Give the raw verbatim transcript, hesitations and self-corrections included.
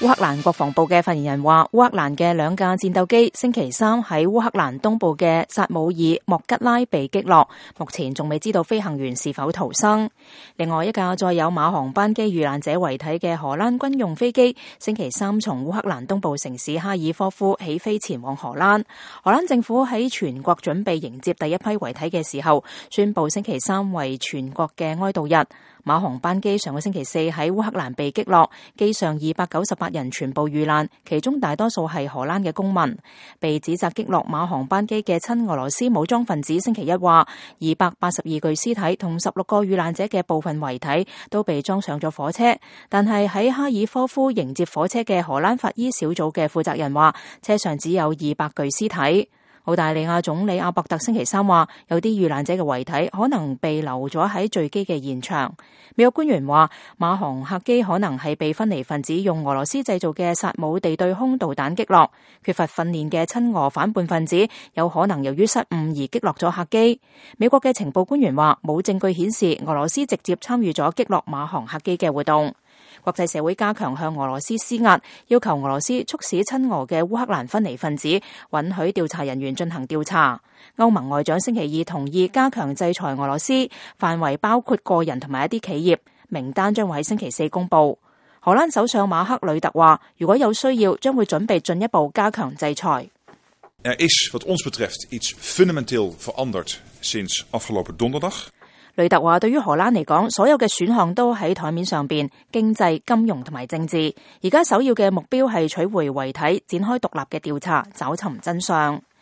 烏克蘭國防部嘅發言人話，烏克蘭嘅兩架戰鬥機星期三喺烏克蘭東部嘅薩姆爾莫吉拉被擊落，目前仲未知道飛行員是否逃生。另外一架載有馬航班機遇難者遺體嘅荷蘭軍用飛機，星期三從烏克蘭東部城市哈爾科夫起飛前往荷蘭。荷蘭政府喺全國準備迎接第一批遺體嘅時候，宣布星期三為全國嘅哀悼日。馬航班機上個星期四喺烏克蘭被擊落，機上二百九十八人全部遇難，其中大多數係荷蘭嘅公民。被指責擊落馬航班機嘅親俄羅斯武裝分子星期一話，二百八十二具屍體同十六個遇難者嘅部分遺體都被裝上咗火車，但係喺哈爾科夫迎接火車嘅荷蘭法醫小組嘅負責人話，車上只有二百具屍體。澳大利亞總理阿伯特星期三話，有啲遇難者嘅遺體可能被留咗喺墜機嘅現場。美國官員話，馬航客機可能係被分離分子用俄羅斯製造嘅薩姆地對空導彈擊落，缺乏訓練嘅親俄反叛分子有可能由於失誤而擊落咗客機。美國嘅情報官員話，冇證據顯示俄羅斯直接參與咗擊落馬航客機嘅活動。國際社會加強向俄羅斯施壓，要求俄羅斯促使親俄嘅烏克蘭分離分子允許調查人員進行調查。歐盟外長星期二同意加強制裁俄羅斯，範圍包括個人同埋一啲企業，名單將會喺星期四公布。荷蘭首相馬克呂特話，如果有需要，將會準備進一步加強制裁。Er is wat ons betreft iets fundamenteel veranderd sinds afgelopen donderdag。呂特話，對於荷蘭嚟講，所有嘅選項都喺台面上邊，經濟、金融同埋政治。而家首要嘅目標係取回遺體，展開獨立嘅調查，找尋真相。